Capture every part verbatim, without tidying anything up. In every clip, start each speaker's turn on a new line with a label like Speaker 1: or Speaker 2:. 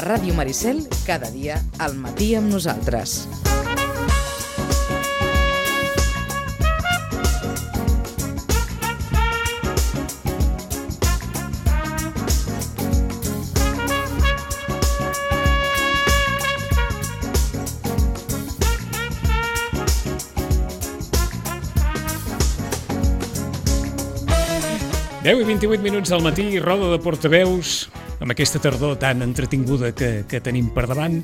Speaker 1: A Ràdio Maricel, cada dia al matí amb nosaltres.
Speaker 2: deu i vint-i-vuit minuts al matí, roda de portaveus, amb aquesta tardor tan entretinguda que, que tenim per davant,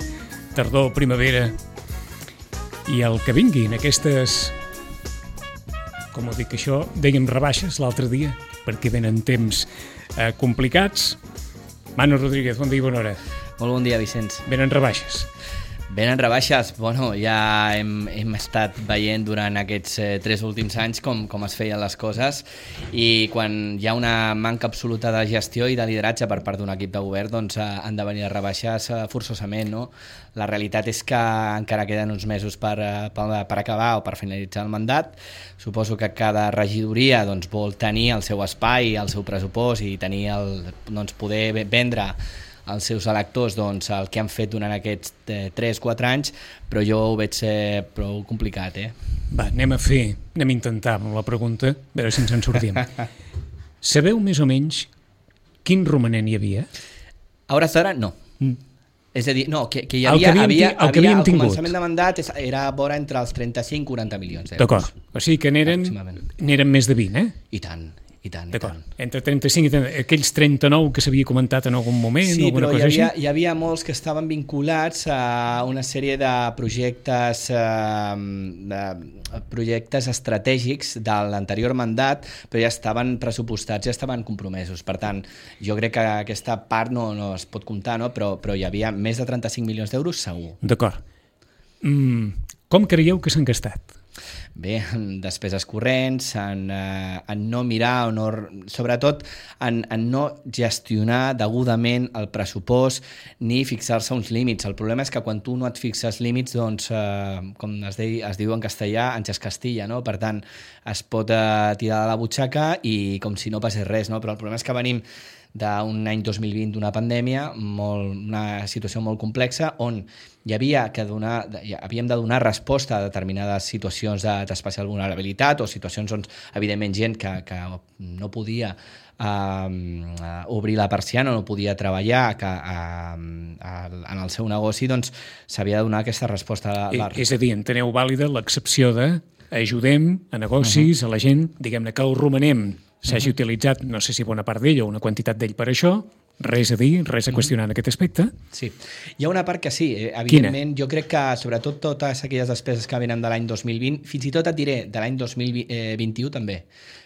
Speaker 2: tardor, primavera, i el que vinguin aquestes, com ho dic això, dèiem rebaixes l'altre dia, perquè venen temps eh, complicats. Manu Rodríguez, bon dia i bona hora.
Speaker 3: Molt bon dia, Vicenç.
Speaker 2: Venen rebaixes.
Speaker 3: Venen rebaixes, bueno, ja hem, hem estat veient durant aquests eh, tres últims anys com, com es feien les coses, i quan hi ha una manca absoluta de gestió i de lideratge per part d'un equip de govern, doncs eh, han de venir a rebaixes eh, forçosament, no? La realitat és que encara queden uns mesos per, eh, per, per acabar o per finalitzar el mandat. Suposo que cada regidoria doncs, vol tenir el seu espai, el seu pressupost i tenir el, doncs, poder vendre als seus electors doncs, el que han fet durant aquests tres quatre anys, però jo ho veig eh, prou complicat. Eh?
Speaker 2: Va, anem a fer, anem a intentar amb la pregunta, a veure si ens en sortim. Sabeu més o menys quin romanent hi havia?
Speaker 3: A hores d'ara, no. Mm. És a dir, no, que, que hi
Speaker 2: El
Speaker 3: havia,
Speaker 2: que havíem,
Speaker 3: havia,
Speaker 2: el que
Speaker 3: havia
Speaker 2: havíem
Speaker 3: el
Speaker 2: tingut.
Speaker 3: començament de mandat era vora entre els trenta-cinc i quaranta milions d'euros.
Speaker 2: D'acord, o sigui que n'eren, n'eren més de vint, eh?
Speaker 3: I tant. I tant,
Speaker 2: D'acord,
Speaker 3: i tant.
Speaker 2: entre trenta-cinc i trenta, aquells trenta-nou que s'havia comentat en algun moment,
Speaker 3: sí,
Speaker 2: alguna cosa
Speaker 3: hi havia,
Speaker 2: així?
Speaker 3: hi havia molts que estaven vinculats a una sèrie de projectes eh, de projectes estratègics de l'anterior mandat, però ja estaven pressupostats, ja estaven compromesos. Per tant, jo crec que aquesta part no, no es pot comptar, no? però, però hi havia més de trenta-cinc milions d'euros segur.
Speaker 2: D'acord. Mm, com creieu que s'han gastat?
Speaker 3: Bé, en despeses corrents, en, eh, en no mirar, o no, sobretot en, en no gestionar degudament el pressupost ni fixar-se uns límits. El problema és que quan tu no et fixes límits, doncs, eh, com es, de, es diu en castellà, anys castilla, no? Per tant, es pot eh, tirar de la butxaca i com si no passés res, no? Però el problema és que venim d'un any dos mil vint, d'una pandèmia, molt, una situació molt complexa, on hi havia que donar, havíem de donar resposta a determinades situacions d'especial vulnerabilitat o situacions on, evidentment, gent que, que no podia uh, obrir la persiana, no podia treballar que, uh, en el seu negoci, doncs s'havia de donar aquesta resposta. A la...
Speaker 2: És a dir, enteneu vàlida l'excepció de ajudem a negocis, uh-huh. a la gent, diguem-ne que el romanem s'hagi uh-huh. utilitzat, no sé si bona part d'ell o una quantitat d'ell per això, res a dir, res a qüestionar en aquest aspecte.
Speaker 3: Sí, hi ha una part que sí, eh? Evidentment. Quina? Jo crec que sobretot totes aquelles despeses que venen de l'any dos mil vint, fins i tot et diré de l'any dos mil vint-i-u també,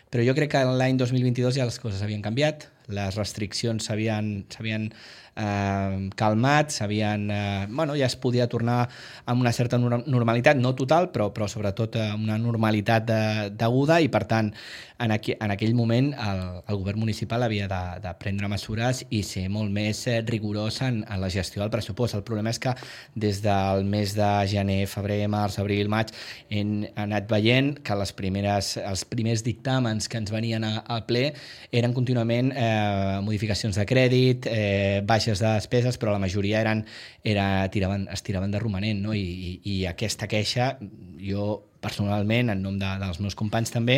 Speaker 3: però jo crec que l'any dos mil vint-i-dos ja les coses havien canviat, les restriccions s'havien s'havien eh, calmat, s'havien, eh, bueno, ja es podia tornar amb una certa normalitat, no total, però, però sobretot eh, una normalitat de, deguda, i per tant en, aqu en aquell moment el, el govern municipal havia de, de prendre mesures i ser molt més eh, rigorós en, en la gestió del pressupost. El problema és que des del mes de gener, febrer, març, abril, maig hem anat veient que les primeres, els primers dictàmens que ens venien a, al ple eren contínuament eh, modificacions de crèdit, eh, baixes de despeses, però la majoria eren, era, tiraven, es tiraven de romanent, no? I, i, i aquesta queixa, jo personalment, en nom de, dels meus companys també,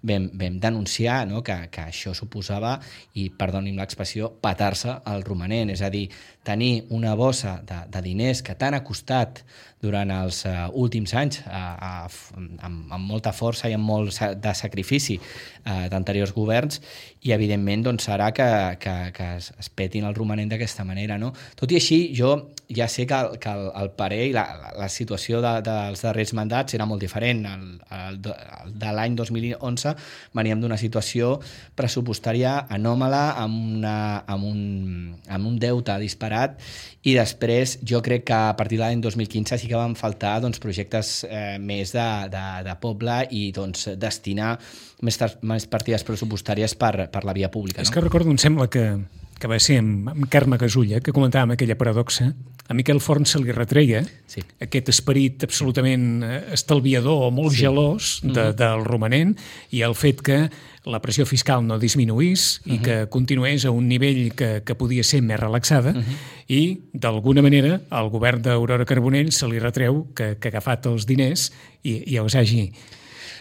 Speaker 3: vam, vam denunciar, no? que, que això suposava, i perdonin l'expressió, petar-se el romanent, és a dir, tenir una bossa de, de diners que tant ha costat durant els uh, últims anys uh, uh, amb, amb molta força i amb molt de sacrifici uh, d'anteriors governs, i evidentment doncs, serà que, que, que es, es petin el romanent d'aquesta manera, no? Tot i així, jo ja sé que el, que el, el parer i la, la situació de, dels darrers mandats era molt diferent. El, el, el de l'any dos mil onze veníem d'una situació pressupostària anòmala, amb, una, amb, un, amb un deute disparat, i després jo crec que a partir de l'any dos mil quinze sí que van faltar doncs, projectes eh, més de, de, de poble i doncs, destinar més, més partides pressupostàries per, per la via pública. No?
Speaker 2: És que recordo, em sembla que, que va ser amb, amb Carme Gasulla, que comentàvem aquella paradoxa, a Miquel Forn se li retreia
Speaker 3: sí.
Speaker 2: aquest esperit absolutament estalviador o molt sí. gelós de, uh-huh. del romanent i el fet que la pressió fiscal no disminuís i uh-huh. que continués a un nivell que, que podia ser més relaxada uh-huh. i, d'alguna manera, al govern d'Aurora Carbonell se li retreu que, que ha agafat els diners i, i els hagi...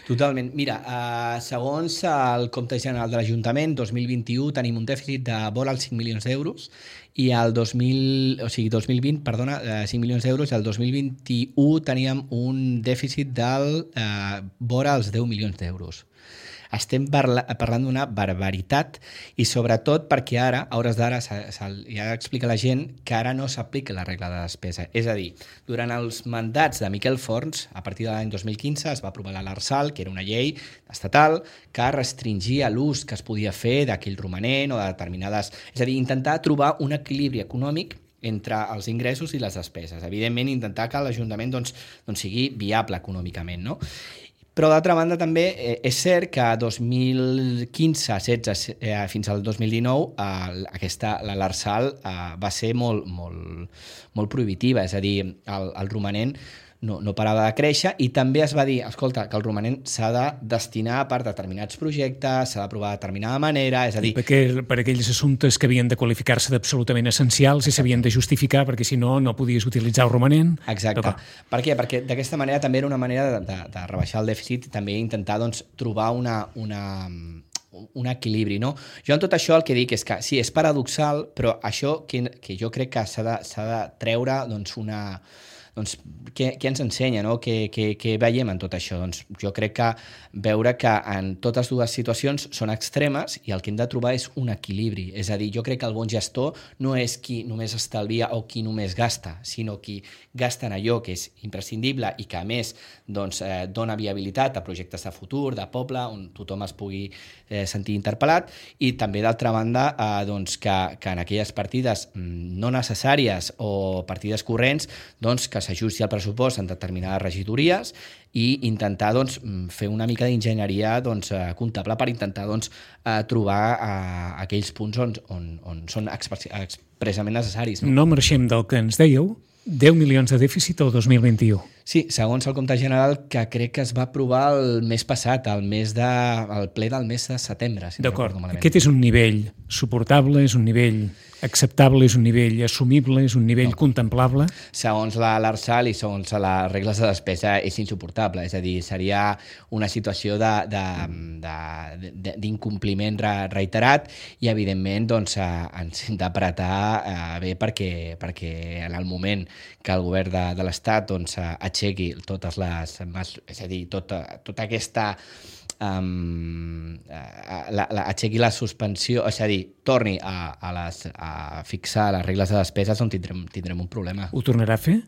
Speaker 3: Totalment. Mira, uh, segons el compte general de l'Ajuntament, dos mil vint-i-u tenim un dèficit de vora els cinc milions d'euros i el dos mil, o sigui, dos mil vint, perdona, uh, cinc milions d'euros, i el dos mil vint-i-u teníem un dèficit del uh, vora els deu milions d'euros. Estem parla, parlant d'una barbaritat i sobretot perquè ara, a hores d'ara, ja explica la gent que ara no s'aplica la regla de despesa. És a dir, durant els mandats de Miquel Forns, a partir de l'any dos mil quinze, es va aprovar l'Arsal, que era una llei estatal que restringia l'ús que es podia fer d'aquell romanent o de determinades... És a dir, intentar trobar un equilibri econòmic entre els ingressos i les despeses. Evidentment, intentar que l'Ajuntament doncs, doncs sigui viable econòmicament, no? Però, d'altra banda, també eh, és cert que dos mil quinze, setze eh, fins al dos mil dinou eh, aquesta, l'Arsal eh, va ser molt, molt, molt prohibitiva, és a dir, el, el romanent no, no parava de créixer i també es va dir, escolta, que el romanent s'ha de destinar per determinats projectes, s'ha d'aprovar de determinada manera, és a dir...
Speaker 2: Perquè, per aquells assumptes que havien de qualificar-se d'absolutament essencials i s'havien de justificar, perquè si no, no podies utilitzar el romanent.
Speaker 3: Exacte. Però... Per què? Perquè d'aquesta manera també era una manera de, de, de rebaixar el dèficit i també intentar doncs, trobar una... una un equilibri, no? Jo en tot això el que dic és que sí, és paradoxal, però això que, que jo crec que s'ha de, s'ha de treure doncs, una... Doncs, què, què ens ensenya, no? Què, què, què veiem en tot això? Doncs jo crec que veure que en totes dues situacions són extremes i el que hem de trobar és un equilibri. És a dir, jo crec que el bon gestor no és qui només estalvia o qui només gasta, sinó qui gasta en allò que és imprescindible i que, a més, doncs, eh, dona viabilitat a projectes de futur, de poble, on tothom es pugui eh, sentir interpel·lat i també, d'altra banda, eh, doncs, que, que en aquelles partides no necessàries o partides corrents, doncs, que s'ajusti el pressupost en determinades regidories i intentar doncs, fer una mica d'enginyeria doncs, comptable per intentar doncs, trobar uh, aquells punts on, on, on són expressament necessaris. No?
Speaker 2: no marxem del que ens dèieu, deu milions de dèficit el dos mil vint-i-u.
Speaker 3: Sí, segons el compte general, que crec que es va aprovar el mes passat, el, mes de, el ple del mes de setembre. Si
Speaker 2: D'acord.
Speaker 3: No
Speaker 2: Aquest és un nivell suportable, és un nivell acceptable, és un nivell assumible, és un nivell no. contemplable?
Speaker 3: Segons l'Arsal i segons les regles de despesa és insuportable, és a dir, seria una situació de, de, de, de, d'incompliment reiterat i, evidentment, doncs, ens hem d'apretar eh, bé perquè, perquè en el moment que el govern de, de l'Estat doncs, aixequi totes les... És a dir, tota, tota aquesta... Um, la, la, aixequi la suspensió, és a dir, torni a, a, les, a fixar les regles de despeses on tindrem, tindrem un problema.
Speaker 2: Ho tornarà a fer?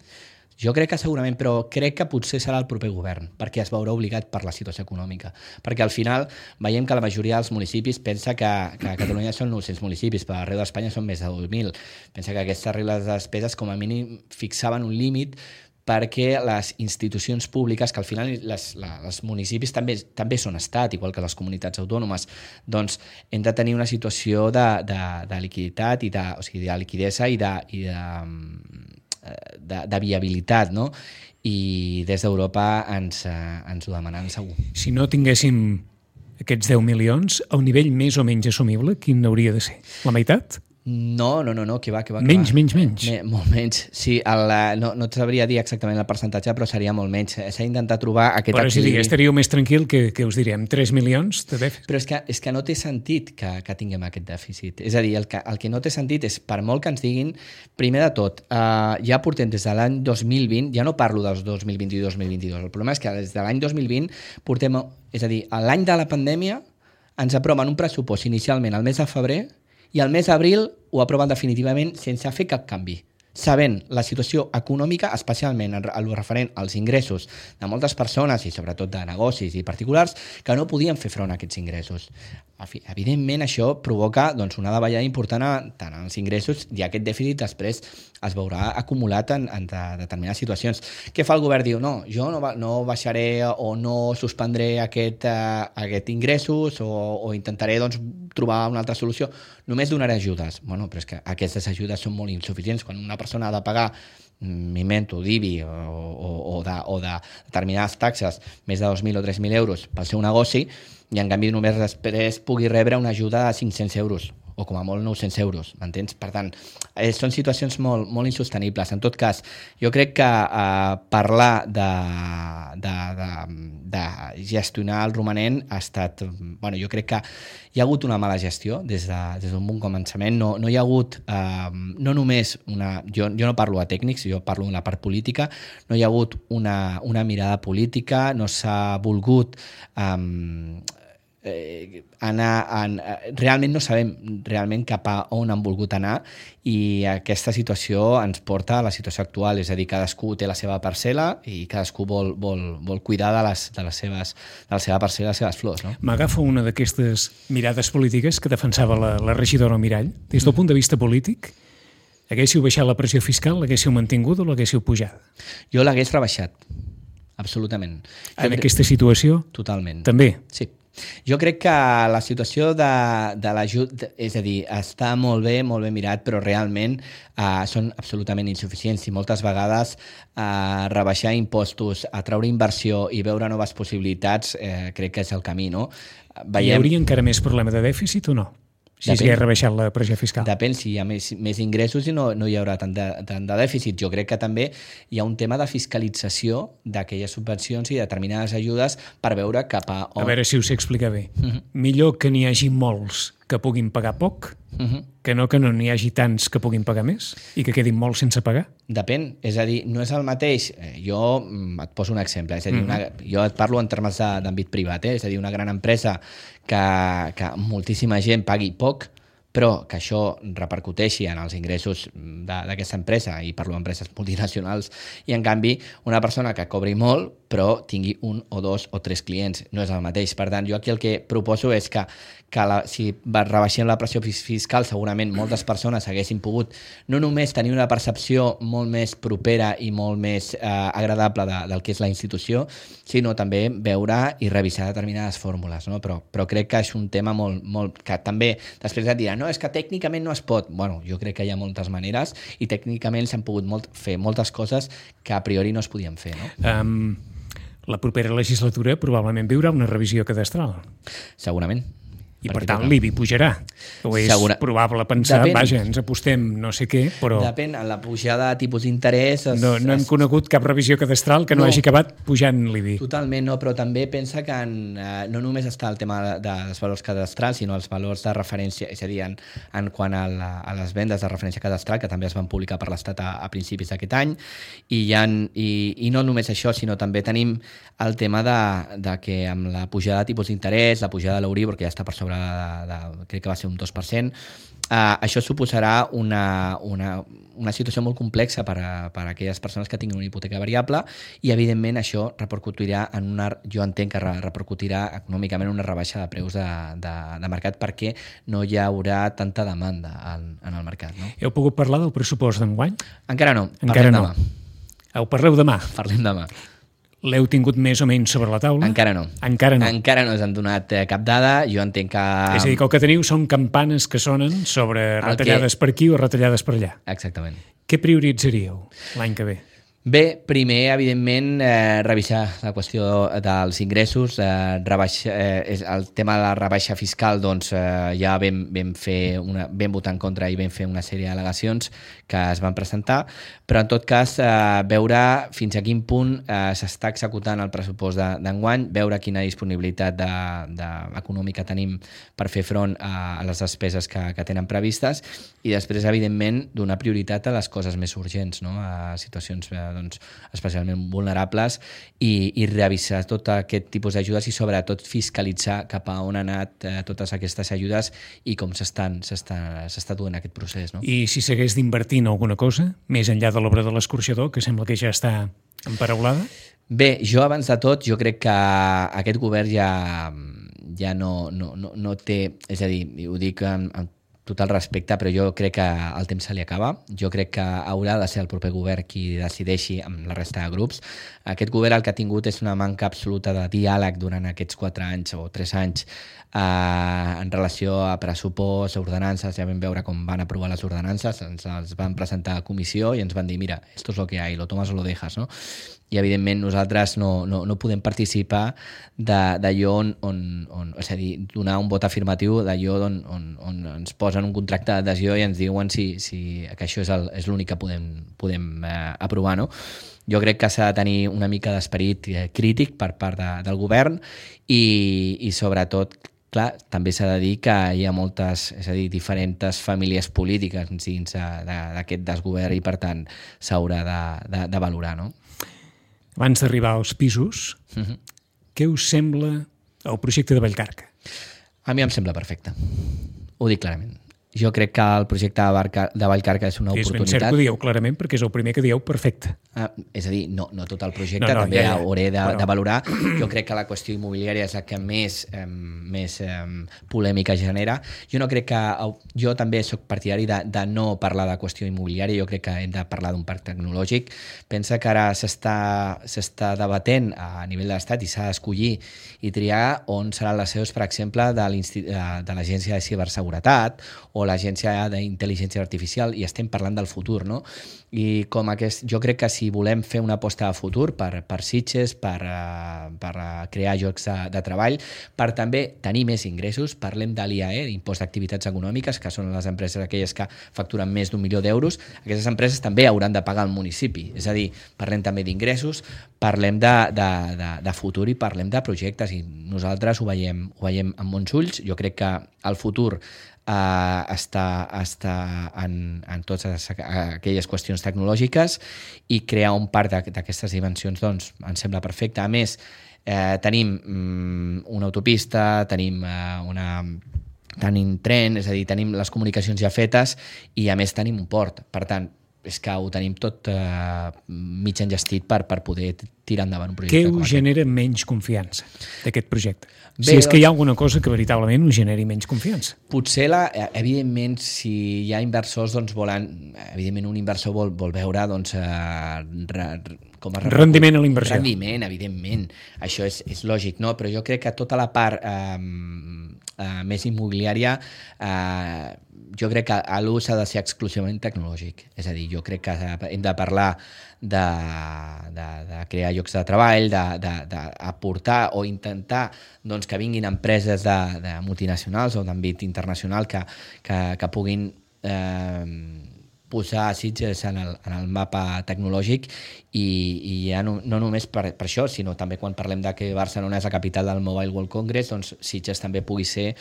Speaker 3: Jo crec que segurament, però crec que potser serà el proper govern, perquè es veurà obligat per la situació econòmica. Perquè al final veiem que la majoria dels municipis pensa que, que a Catalunya són nou-cents municipis, però arreu d'Espanya són més de dos mil. Pensa que aquestes regles de despeses com a mínim fixaven un límit perquè les institucions públiques, que al final les, les, els municipis també, també són estat, igual que les comunitats autònomes, doncs hem de tenir una situació de, de, de liquiditat, i de, o sigui, de liquidesa i de, i de, de, de viabilitat, no? I des d'Europa ens, ens ho demanen segur.
Speaker 2: Si no tinguéssim aquests deu milions, el nivell més o menys assumible, quin hauria de ser? La meitat?
Speaker 3: No, no, no, no, que va, que va. Que
Speaker 2: menys,
Speaker 3: va.
Speaker 2: menys, menys.
Speaker 3: Me, molt menys. Sí, el, no, no et sabria dir exactament el percentatge, però seria molt menys. S'ha d'intentar trobar aquest
Speaker 2: però
Speaker 3: equilibri.
Speaker 2: Però si estaríeu més tranquil que, que us direm tres milions de dèficit.
Speaker 3: Però és que, és que no té sentit que, que tinguem aquest dèficit. És a dir, el que, el que no té sentit és, per molt que ens diguin, primer de tot, uh, ja portem des de l'any dos mil vint, ja no parlo dels dos mil vint i dos mil vint-i-dos, el problema és que des de l'any dos mil vint portem, és a dir, l'any de la pandèmia ens aproven un pressupost inicialment al mes de febrer i al mes d'abril ho aproven definitivament sense fer cap canvi, sabent la situació econòmica, especialment en el referent als ingressos de moltes persones i sobretot de negocis i particulars, que no podien fer front a aquests ingressos. Evidentment, això provoca doncs, una davallada important tant en els ingressos i aquest dèficit després es veurà acumulat en, en de, determinades situacions. Què fa el govern? Diu, no, jo no, no baixaré o no suspendré aquest, uh, aquest ingressos o, o intentaré doncs, trobar una altra solució. Només donaré ajudes. Bueno, però és que aquestes ajudes són molt insuficients. Quan una persona ha de pagar m'invento, d'I B I o, o, o, de, o de determinades taxes més de dos mil o tres mil euros pel seu negoci i en canvi només després pugui rebre una ajuda de cinc-cents euros o com a molt nou-cents euros, m'entens? Per tant, eh, són situacions molt, molt insostenibles. En tot cas, jo crec que eh, parlar de, de, de, de gestionar el romanent ha estat... Bueno, jo crec que hi ha hagut una mala gestió des de, des d'un bon començament. No, no hi ha hagut, eh, no només una... Jo, jo no parlo a tècnics, jo parlo d'una part política. No hi ha hagut una, una mirada política, no s'ha volgut... Eh, Eh, anar en, realment no sabem realment cap a on han volgut anar i aquesta situació ens porta a la situació actual, és a dir, cadascú té la seva parcel·la i cadascú vol, vol, vol cuidar de, les, de, les seves, de la seva parcel·la i les seves flors. No?
Speaker 2: M'agafo una d'aquestes mirades polítiques que defensava la, la regidora Mirall. Des del punt de vista polític, haguéssiu baixat la pressió fiscal, l'haguéssiu mantingut o l'haguéssiu pujat?
Speaker 3: Jo l'hagués rebaixat, absolutament.
Speaker 2: En jo aquesta crec... situació?
Speaker 3: Totalment.
Speaker 2: També?
Speaker 3: Sí. Jo crec que la situació de, de l'ajut, és a dir, està molt bé, molt ben mirat, però realment eh, són absolutament insuficients i moltes vegades eh, rebaixar impostos, atraure inversió i veure noves possibilitats eh, crec que és el camí, no?
Speaker 2: Veiem... Hi hauria encara més problema de dèficit o no? Si s'hagués rebaixat la pressió fiscal.
Speaker 3: Depèn, si hi ha més, més ingressos i no, no hi haurà tant de, tant de dèficit. Jo crec que també hi ha un tema de fiscalització d'aquelles subvencions i determinades ajudes per veure cap a on...
Speaker 2: A veure si us sé explicar bé. Uh-huh. Millor que n'hi hagi molts que puguin pagar poc, uh-huh. que no que no n'hi hagi tants que puguin pagar més i que quedin molts sense pagar?
Speaker 3: Depèn, és a dir, no és el mateix. Jo et poso un exemple, és a dir, uh-huh. una, jo et parlo en termes d'àmbit privat, eh? És a dir, una gran empresa que, que moltíssima gent pagui poc, però que això repercuteixi en els ingressos d'aquesta empresa, i parlo d'empreses multinacionals, i en canvi una persona que cobri molt però tingui un o dos o tres clients, no és el mateix. Per tant, jo aquí el que proposo és que, que la, si rebaixem la pressió fiscal, segurament moltes persones haguessin pogut no només tenir una percepció molt més propera i molt més eh, agradable de, del que és la institució, sinó també veure i revisar determinades fórmules, no? Però, però crec que és un tema molt, molt que també després et diran, no, és que tècnicament no es pot. Bueno, jo crec que hi ha moltes maneres i tècnicament s'han pogut molt, fer moltes coses que a priori no es podien fer, no?
Speaker 2: Um, la propera legislatura probablement viurà una revisió cadastral.
Speaker 3: Segurament.
Speaker 2: I per tant l'I B I pujarà. O és Segura... probable pensar, depèn, vaja, ens apostem no sé què, però...
Speaker 3: Depèn, en la pujada de tipus d'interès... Es,
Speaker 2: no, no hem
Speaker 3: es...
Speaker 2: conegut cap revisió cadastral que no, no hagi acabat pujant l'I B I.
Speaker 3: Totalment, no, però també pensa que en, eh, no només està el tema de, dels valors cadastrals, sinó els valors de referència, és a dir, en, en quant a, la, a les vendes de referència cadastral, que també es van publicar per l'Estat a, a principis d'aquest any, i, ha, i, i no només això, sinó també tenim el tema de, de que amb la pujada de tipus d'interès, la pujada de l'Euribor, que ja està per sobre de, de, crec que va ser un dos per cent, eh, això suposarà una, una, una situació molt complexa per a, per a aquelles persones que tinguin una hipoteca variable i, evidentment, això repercutirà en una, jo entenc que repercutirà econòmicament en una rebaixa de preus de, de, de mercat perquè no hi haurà tanta demanda en, en el mercat. No?
Speaker 2: Heu pogut parlar del pressupost d'enguany?
Speaker 3: Encara no,
Speaker 2: Encara
Speaker 3: parlem
Speaker 2: no.
Speaker 3: demà.
Speaker 2: Ho parleu demà?
Speaker 3: Parlem demà.
Speaker 2: L'heu tingut més o menys sobre la taula?
Speaker 3: Encara no.
Speaker 2: Encara no.
Speaker 3: Encara no us han donat eh, cap dada. Jo entenc que...
Speaker 2: És a dir, que el que teniu són campanes que sonen sobre retallades que... per aquí o retallades per allà.
Speaker 3: Exactament.
Speaker 2: Què prioritzaríeu l'any que ve?
Speaker 3: Bé, primer, evidentment, eh, revisar la qüestió dels ingressos. Eh, rebaixa, eh, el tema de la rebaixa fiscal, doncs, eh, ja vam, vam, fer una, vam votar en contra i vam fer una sèrie d'al·legacions que es van presentar, però en tot cas eh, veure fins a quin punt eh, s'està executant el pressupost d'enguany, de, veure quina disponibilitat de, de, econòmica tenim per fer front a, a les despeses que, que tenen previstes i després, evidentment, donar prioritat a les coses més urgents, no? A situacions eh, doncs, especialment vulnerables i, i revisar tot aquest tipus d'ajudes i sobretot fiscalitzar cap a on han anat eh, totes aquestes ajudes i com s'està duent aquest procés. No?
Speaker 2: I si s'hagués d'invertir en alguna cosa, més enllà de l'obra de l'escorxador, que sembla que ja està emparaulada?
Speaker 3: Bé, jo abans de tot, jo crec que aquest govern ja, ja no, no, no, no té, és a dir, ho dic en, en total respecte, però jo crec que el temps se li acaba. Jo crec que haurà de ser el proper govern qui decideixi amb la resta de grups. Aquest govern el que ha tingut és una manca absoluta de diàleg durant aquests quatre anys o tres anys eh, en relació a pressupost, a ordenances. Ja vam veure com van aprovar les ordenances, ens les van presentar a comissió i ens van dir, mira, esto es lo que hay, lo tomas o lo dejas, no? I evidentment nosaltres no, no, no podem participar d'allò on, on, on, és a dir, donar un vot afirmatiu d'allò on, on, on ens posen un contracte d'adhesió i ens diuen si, si, que això és l'únic que podem, podem eh, aprovar, no? Jo crec que s'ha de tenir una mica d'esperit eh, crític per part de, del govern i, i sobretot, clar, també s'ha de dir que hi ha moltes, és a dir, diferents famílies polítiques dins d'aquest desgovern i per tant s'haurà de, de, de valorar, no?
Speaker 2: Abans d'arribar als pisos, uh-huh. què us sembla el projecte de Vallcarca?
Speaker 3: A mi em sembla perfecte. Ho dic clarament. Jo crec que el projecte de Vallcarca és una
Speaker 2: és
Speaker 3: oportunitat.
Speaker 2: És ben cert que ho dieu clarament perquè és el primer que dieu perfecte.
Speaker 3: Ah, és a dir, no, no tot el projecte,
Speaker 2: no, no,
Speaker 3: també
Speaker 2: ja, ja.
Speaker 3: hauré de,
Speaker 2: Però...
Speaker 3: de valorar. Jo crec que la qüestió immobiliària és la que més, eh, més eh, polèmica genera. Jo no crec que... Jo també soc partidari de, de no parlar de qüestió immobiliària, jo crec que hem de parlar d'un parc tecnològic. Pensa que ara s'està debatent a nivell de l'Estat i s'ha d'escollir i triar on seran les seus, per exemple, de l'Agència de Ciberseguretat o l'Agència d'Intel·ligència Artificial, i estem parlant del futur, no? I com aquest, jo crec que si volem fer una aposta de futur per, per Sitges, per, uh, per uh, crear llocs de, de treball, per també tenir més ingressos, parlem de l'I A E, Impost d'Activitats Econòmiques, que són les empreses aquelles que facturen més d'un milió d'euros, aquestes empreses també hauran de pagar al municipi. És a dir, parlem també d'ingressos, parlem de, de, de, de futur i parlem de projectes, i nosaltres ho veiem, ho veiem amb bons ulls. Jo crec que el futur Uh, està, està en, en totes aquelles qüestions tecnològiques, i crear un parc d'aquestes dimensions doncs em sembla perfecte. A més, eh, tenim um, una autopista, tenim uh, una tenim tren, és a dir, tenim les comunicacions ja fetes, i a més tenim un port. Per tant, és que ho tenim tot eh, mig enllestit per, per poder tirar endavant un projecte.
Speaker 2: Què us genera menys confiança d'aquest projecte?
Speaker 3: Bé,
Speaker 2: si és que hi ha alguna cosa que veritablement us generi menys confiança.
Speaker 3: Potser, la, evidentment, si hi ha inversors, doncs volen, evidentment un inversor vol, vol veure doncs, eh, re, com a
Speaker 2: rendiment a la inversió.
Speaker 3: Rendiment, evidentment. Això és, és lògic, no? Però jo crec que tota la part eh, eh, més immobiliària, eh, jo crec que l'ús ha de ser exclusivament tecnològic. És a dir, jo crec que hem de parlar de, de, de crear llocs de treball, d'aportar o intentar doncs, que vinguin empreses de, de multinacionals o d'àmbit internacional que, que, que puguin eh, posar Sitges en el, en el mapa tecnològic, i, i ja no, no només per, per això, sinó també quan parlem de que Barcelona és la capital del Mobile World Congress, doncs Sitges també pugui ser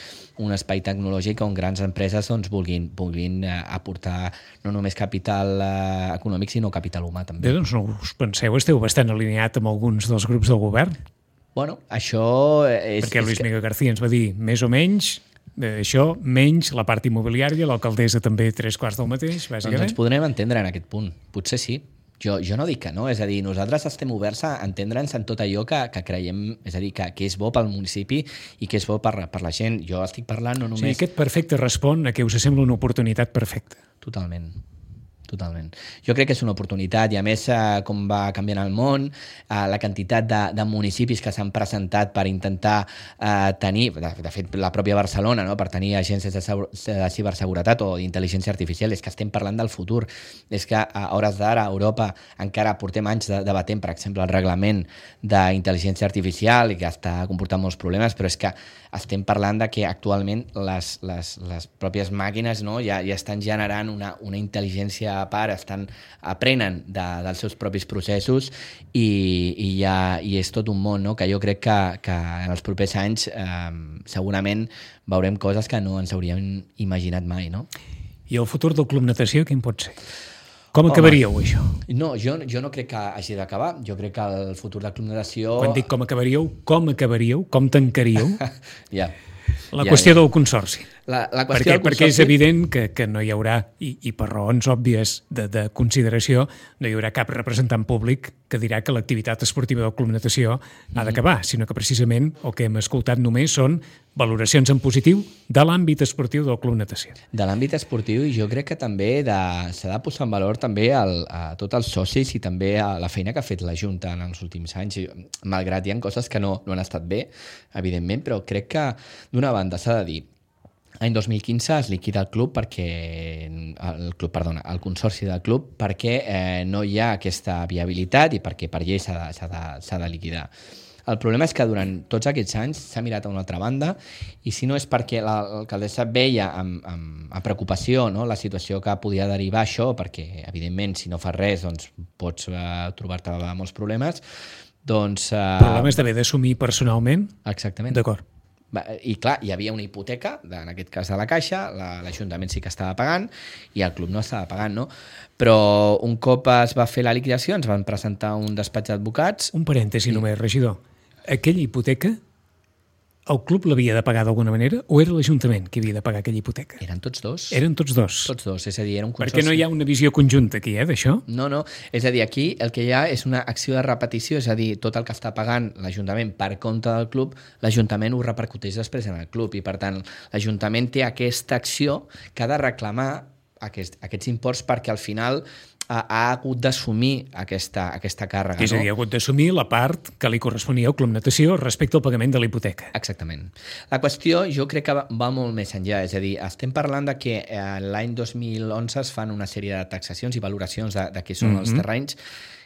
Speaker 3: un espai tecnològic on grans empreses doncs, vulguin, vulguin eh, aportar no només capital eh, econòmic, sinó capital humà també.
Speaker 2: Bé, doncs no us penseu, esteu bastant alineat amb alguns dels grups del govern?
Speaker 3: Bueno, això és...
Speaker 2: Perquè Luis
Speaker 3: és que...
Speaker 2: Miguel García ens va dir, més o menys... això, menys la part immobiliària, l'alcaldessa també tres quarts del mateix, bàsicament.
Speaker 3: Doncs ens podrem entendre en aquest punt, potser sí. Jo, jo no dic que no, és a dir, nosaltres estem oberts a entendre'ns en tot allò que, que creiem, és a dir, que, que és bo pel municipi i que és bo per, per la gent. Jo estic parlant no només...
Speaker 2: Sí, aquest perfecte respon a que us sembla una oportunitat perfecta.
Speaker 3: Totalment. Totalment. Jo crec que és una oportunitat, i a més, eh, com va canviant el món, eh, la quantitat de, de municipis que s'han presentat per intentar eh, tenir, de, de fet, la pròpia Barcelona, no?, per tenir agències de, de ciberseguretat o d'intel·ligència artificial, és que estem parlant del futur. És que a hores d'ara a Europa encara portem anys de, debatent, per exemple, el reglament d'intel·ligència artificial, i que està comportant molts problemes, però és que estem parlant de que actualment les, les, les pròpies màquines, no?, ja, ja estan generant una, una intel·ligència a part, estan, aprenen de, dels seus propis processos, i, i, ja, i és tot un món, no?, que jo crec que, que en els propers anys eh, segurament veurem coses que no ens hauríem imaginat mai, no?
Speaker 2: I el futur del Club Natació quin pot ser? Com acabaríeu,
Speaker 3: Home,
Speaker 2: això?
Speaker 3: No, jo, jo no crec que hagi d'acabar. Jo crec que el futur del Club Natació...
Speaker 2: Quan dic com acabaríeu, com acabaríeu? Com tancaríeu?
Speaker 3: Ja.
Speaker 2: La
Speaker 3: ja,
Speaker 2: qüestió
Speaker 3: ja.
Speaker 2: del consorci.
Speaker 3: La, la qüestió
Speaker 2: perquè, perquè és evident que, que no hi haurà, i, i per raons òbvies de, de consideració, no hi haurà cap representant públic que dirà que l'activitat esportiva del Club Natació mm-hmm. ha d'acabar, sinó que precisament el que hem escoltat només són valoracions en positiu de l'àmbit esportiu del Club Natació.
Speaker 3: De l'àmbit esportiu, i jo crec que també s'ha de posar en valor també el, a tots els socis i també a la feina que ha fet la Junta en els últims anys, malgrat hi ha coses que no, no han estat bé, evidentment, però crec que d'una banda s'ha de dir l'any dos mil quinze es liquida el club perquè el club, perdona, el consorci del club perquè eh, no hi ha aquesta viabilitat i perquè per llei s'ha de, s'ha de, s'ha de liquidar. El problema és que durant tots aquests anys s'ha mirat a una altra banda i si no és perquè l'alcaldessa veia amb, amb, amb preocupació, no, la situació que podia derivar això, perquè evidentment si no fas res doncs, pots uh, trobar-te amb molts problemes, doncs... Uh...
Speaker 2: Problemes d'haver d'assumir personalment?
Speaker 3: Exactament.
Speaker 2: D'acord.
Speaker 3: I clar, hi havia una hipoteca, en aquest cas de la Caixa, l'Ajuntament sí que estava pagant i el club no estava pagant, no? Però un cop es va fer la liquidació ens van presentar un despatx d'advocats...
Speaker 2: Un parèntesi i... només, regidor. Aquella hipoteca, el club l'havia de pagar d'alguna manera o era l'Ajuntament que havia de pagar aquella hipoteca?
Speaker 3: Eren tots dos.
Speaker 2: Eren tots dos?
Speaker 3: Tots dos, és a dir, era un consorci.
Speaker 2: Perquè no hi ha una visió conjunta aquí, eh, d'això?
Speaker 3: No, no, és a dir, aquí el que hi ha és una acció de repetició, és a dir, tot el que està pagant l'Ajuntament per compte del club, l'Ajuntament ho repercuteix després en el club i, per tant, l'Ajuntament té aquesta acció que ha de reclamar aquest, aquests imports perquè al final ha, ha hagut d'assumir aquesta, aquesta càrrega.
Speaker 2: És a dir, ha hagut d'assumir la part que li corresponia al Club Natació respecte al pagament de la hipoteca.
Speaker 3: Exactament. La qüestió jo crec que va, va molt més enllà, és a dir, estem parlant de que eh, l'any dos mil onze es fan una sèrie de taxacions i valoracions de, de què són mm-hmm. els terrenys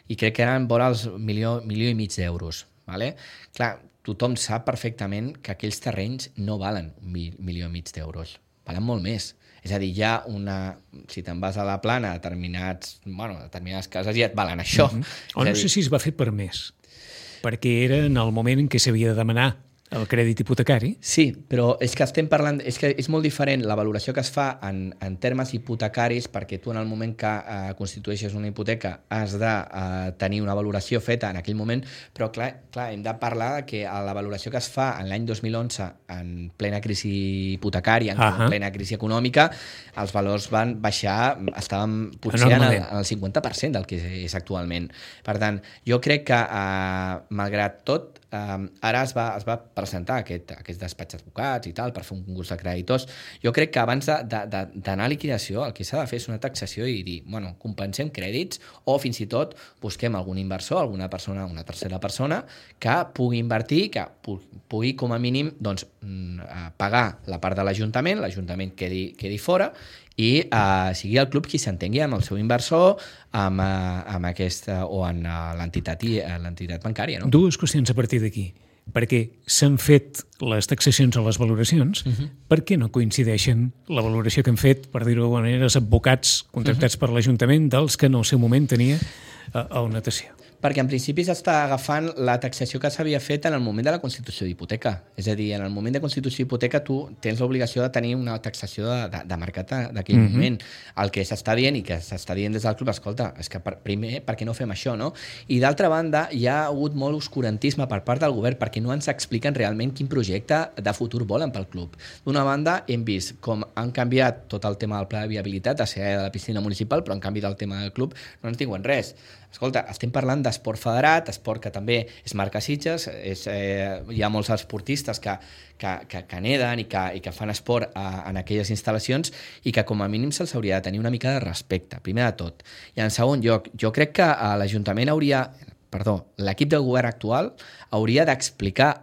Speaker 3: i crec que eren vora els milió, milió i mig d'euros. Vale? Clar, tothom sap perfectament que aquells terrenys no valen un milió i mig d'euros, valen molt més. És a dir, hi ha una... Si te'n vas a la plana, determinats, bueno, determinades cases ja et valen això. Mm-hmm.
Speaker 2: O no dir... sé si es va fer per més, perquè era en el moment en què s'havia de demanar el crèdit hipotecari.
Speaker 3: Sí, però és que estem parlant... És que és molt diferent la valoració que es fa en, en termes hipotecaris, perquè tu en el moment que eh, constitueixes una hipoteca has de eh, tenir una valoració feta en aquell moment, però clar, clar hem de parlar que la valoració que es fa en l'any dos mil onze en plena crisi hipotecària, en uh-huh. plena crisi econòmica, els valors van baixar, estàvem potser en el, en el cinquanta per cent del que és actualment. Per tant, jo crec que eh, malgrat tot, Um, ara es va, es va presentar aquest, aquest despatx d'advocats i tal per fer un concurs de creditors. Jo crec que abans d'anar a liquidació el que s'ha de fer és una taxació i dir, bueno, compensem crèdits o fins i tot busquem algun inversor, alguna persona, una tercera persona que pugui invertir, que pugui com a mínim doncs, pagar la part de l'Ajuntament, l'Ajuntament quedi, quedi fora i uh, sigui el club qui s'entengui amb el seu inversor amb, uh, amb aquesta, o en uh, l'entitat l'entitat bancària. No?
Speaker 2: Dues qüestions a partir d'aquí. Perquè s'han fet les taxacions o les valoracions, uh-huh. per què no coincideixen la valoració que han fet, per dir-ho d'alguna manera, els advocats contractats uh-huh. per l'Ajuntament dels que en el seu moment tenia uh, el Natació?
Speaker 3: Perquè en principi s'està agafant la taxació que s'havia fet en el moment de la constitució d'hipoteca. És a dir, en el moment de constitució d'hipoteca tu tens l'obligació de tenir una taxació de, de, de mercat d'aquell mm-hmm. moment. El que s'està dient i que s'està dient des del club, escolta, és que per, primer, per què no fem això, no? I d'altra banda, hi ha hagut molt oscurantisme per part del govern perquè no ens expliquen realment quin projecte de futur volen pel club. D'una banda, hem vist com han canviat tot el tema del pla de viabilitat, a ser de la piscina municipal, però en canvi del tema del club no ens diuen res. Escolta, estem parlant d'esport federat, esport que també és marca Sitges, és, eh, hi ha molts esportistes que, que, que, que neden i que, i que fan esport a, en aquelles instal·lacions i que com a mínim se'ls hauria de tenir una mica de respecte, primer de tot. I en segon lloc, jo crec que l'Ajuntament hauria, perdó, l'equip de govern actual hauria d'explicar